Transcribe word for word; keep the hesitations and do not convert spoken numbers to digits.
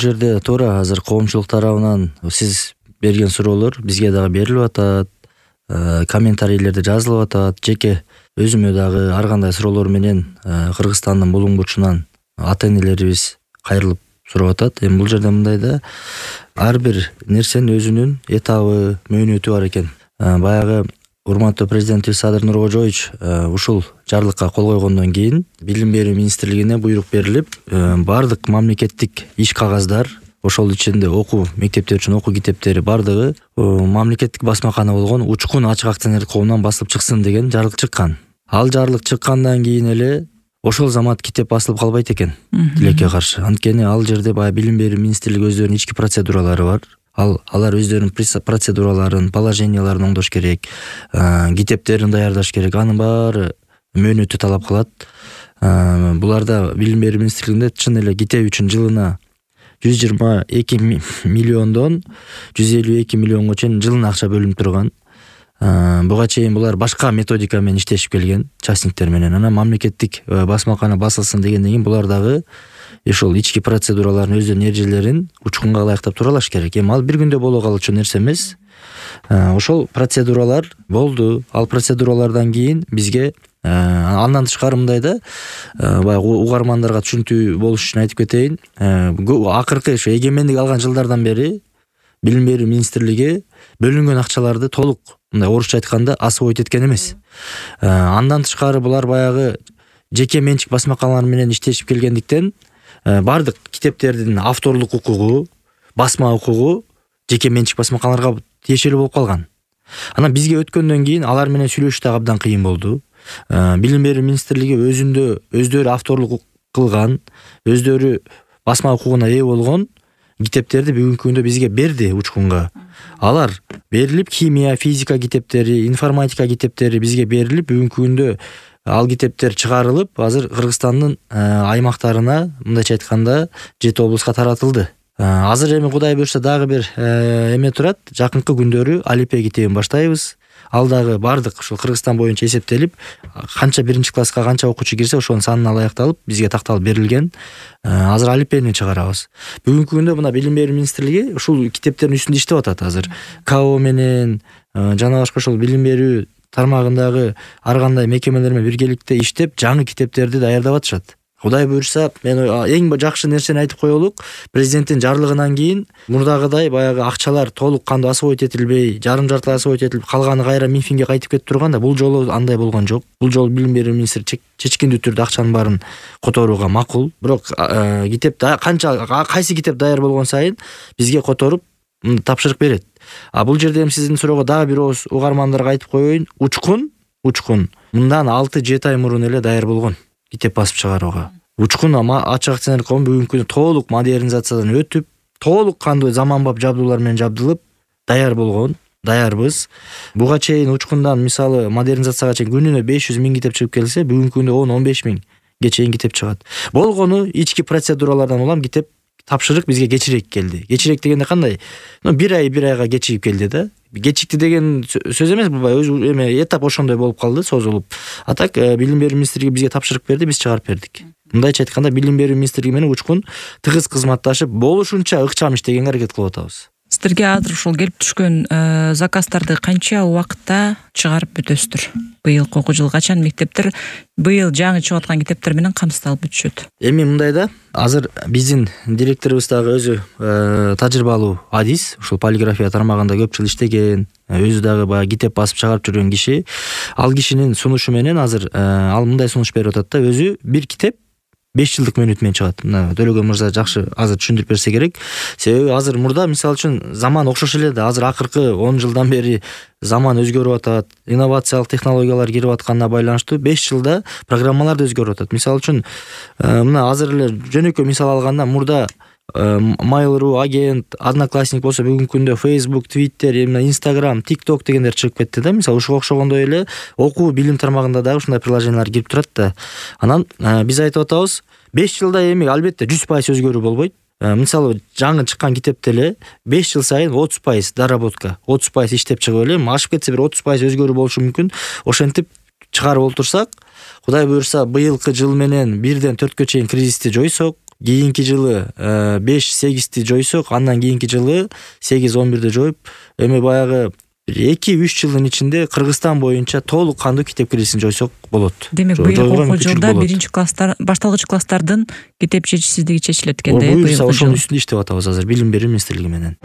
жерде туура азыр коомчулук тарабынан сиз берген суроолор бизге дагы берилип атат, комментарийлерде жазылып атат. Жеке өзүмө дагы ар кандай суроолор менен Кыргызстандын булуң бурчунан ата энелерибиз кайрылып сурап атат. Эми бул жерде мындай да, ар бир нерсенин өзүнүн этабы, мөөнөтү бар экен. Баягы урматтуу президентибиз Садыр Нуркожоевич ушул жарлыкка кол койгондон кийин Билим берүү министрлигине буйрук берилип, бардык мамлекеттик иш кагаздар, ошол ичинде окуу мектептер үчүн окуу китептери бардыгы мамлекеттик басмакана болгон Учкун ачык акционердик коомунан басылып чыксын деген жарлык чыккан. Ал жарлык чыккандан кийин эле ошол замат китеп басылып калбайт экен тилекке каршы. Анткени ал жерде баягы Билим берүү министрлиги өздөрүнүн ички процедуралары бар. Ал алар өздөрүнүн процедураларын, положенияларын оңдош керек, китептерин даярдаш керек. Анын баары мөөнөтү талап кылат. Буларда Билим берүү министрлигинде чын эле китеп үчүн жылына жүз жыйырма эки миллиондон жүз элүү эки миллионго чейин жылына акча бөлүнүп турган. Буга чейин булар башка методика менен иштешип келген, частниктер менен. Анан мамлекеттик басмакана басылсын дегенден кийин булар дагы ошол ички процедураларын, өздөрүнүн эрежелерин Учкунга ылайыктап туралаш керек. Эми ал бир күндө боло калчу нерсе эмес. Ошол процедуралар болду. Ал процедуралардан кийин бизге андан тышкары мындай да, баягы угармандарга түшүнүктүү болуш үчүн айтып кетейин. Акыркы ошо эгемендик алган жылдардан бери Билим берүү министрлиги бөлүнгөн акчаларды толук, мындай орусча айтканда, освоить эткен эмес. Андан тышкары булар баягы жеке менчик басмаканалар менен иштешип келгендиктен бардык китептердин авторлук укугу, басма укугу жеке менчик басмаканаларга тиешелүү болуп калган. Анан бизге өткөндөн кийин алар менен сүйлөшүш да абдан кыйын болду. Билим берүү министрлиги өзүндө өздөрү авторлук кылган, өздөрү басма укугуна ээ болгон китептерди бүгүнкү күндө бизге берди Учкунга. Алар берилип, химия, физика китептери, информатика китептери бизге берилип, бүгүнкү күндө ал китептер чыгарылып, азыр Кыргызстандын аймактарына, мындайча айтканда, жети облуска таратылды. Азыр эми Кудай буйрса дагы бир эме турат. Жакынкы күндөрү алипе китебин баштайбыз. Ал дагы бардык ушул Кыргызстан боюнча эсептелип, канча биринчи класска канча окуучу кирсе, ошонун санына ылайыкталып бизге такталып берилген. Азыр алипени чыгарабыз. Бүгүнкү күндө мына Билим берүү министрлиги ушул китептердин үстүндө иштеп атат азыр. КАО менен жана башка ошол билим берүү тармагындагы ар кандай мекемелер менен биргеликте иштеп, жаңы китептерди даярдап атышат. Кудай буйрса, мен эң жакшы нерсени айтып коелук, президенттин жарлыгынан кийин мурдагыдай баягы акчалар толук кандуу освоить этилбей, жарым жартылай освоить этилип калганы кайра Минфинге кайтып кетип турганда, бул жолу андай болгон жок. Бул жолу Билим берүү министри чечкиндүү түрдө акчанын баарын которууга макул. Бирок китеп канча кайсы китеп даяр болгон сайын бизге которуп тапшырык берет. А бул жерде эми сиздин суроого дагы бир ооз угармандарга айтып коеюн. Учкун, Учкун мындан алты жети ай мурун эле даяр болгон китеп басып чыгарууга. Учкун ачык акционердик коом бүгүнкү күндө толук модернизациядан өтүп, толук кандуу заманбап жабдуулар менен жабдылып, даяр болгон, даярбыз. Буга чейин Учкундан мисалы модернизацияга чейин күнүнө беш жүз миң китеп чыгып келсе, бүгүнкү күндө он он беш миңге чейин китеп чыгат. Болгону ички процедуралардан улам китеп тапшырык бизге кечирээк келди. Кечирээк дегенде кандай? Ну бир ай бир айга кечигип келди да. Кечикти деген сөз эмес, бул өз эме этап ошондой болуп калды, созулуп. А так Билим берүү министрлиги бизге тапшырык берди, биз чыгарып бердик. Мындайча айтканда, Билим берүү министрлиги менен Учкун тыгыз кызматташып, болушунча ыкчам иштегенге аракет кылып атабыз. Сиздерге азыр ушул келип түшкөн заказдарды канча убакытта чыгарып бүтөсүздөр? Быйылкы окуу жылы качан мектептер быйыл жаңы чыгып аткан китептер менен камсыздалып бүтүшөт? Эми мындай да, азыр биздин директорубуз дагы өзү тажрыйбалуу адис, ушул полиграфия тармагында көп жыл иштеген, өзү дагы баягы китеп басып чыгарып жүргөн киши. Ал кишинин сунушу менен азыр ал мындай сунуш берип атат да, өзү бир китеп беш жылдык мөөнөт менен чыгат. Мына Төлөгөн мырза жакшы азыр түшүндүрүп берсе керек. Себеби азыр мурда мисалы үчүн заман окшош эле да, азыр акыркы он жылдан бери заман өзгөрүп атат, инновациялык технологиялар кирип атканына байланыштуу беш жылда программалар да өзгөрүп атат. Мисалы үчүн мына азыр эле жөнөкөй мисал алганда, мурда Mail.ru, агент, Одноклассник болсо бүгүнкү күндө Facebook, Twitter, Instagram, TikTok дегендер чыгып кетти да. Мисалы ушуга окшогондой эле окуу билим тармагында дагы ушундай приложениялар кирип турат да. Анан биз айтып атабыз, беш жылда эми албетте жүз пайыз өзгөрүү болбойт. Мисалы жаңы чыккан китепте эле беш жыл сайын отуз пайыз доработка, отуз пайыз иштеп чыгып эле, ашып кетсе бир отуз пайыз өзгөрүү болушу мүмкүн. Ошентип чыгарып олтурсак, Кудай буйрса быйылкы жыл менен бирден төрткө чейин кризисти жойсок, кийинки жылы беш сегизди жойсок, андан кийинки жылы сегиз он бирди жоюп, эми баягы эки үч жылдын ичинде Кыргызстан боюнча толук кандуу китеп киресин жойсок болот. Демек быйылкы окуу жылда биринчи класстар, башталгыч класстардын китеп жетишсиздиги чечилет экен да. Буюрса ошонун үстүндө иштеп атабыз азыр Билим берүү министрлиги менен.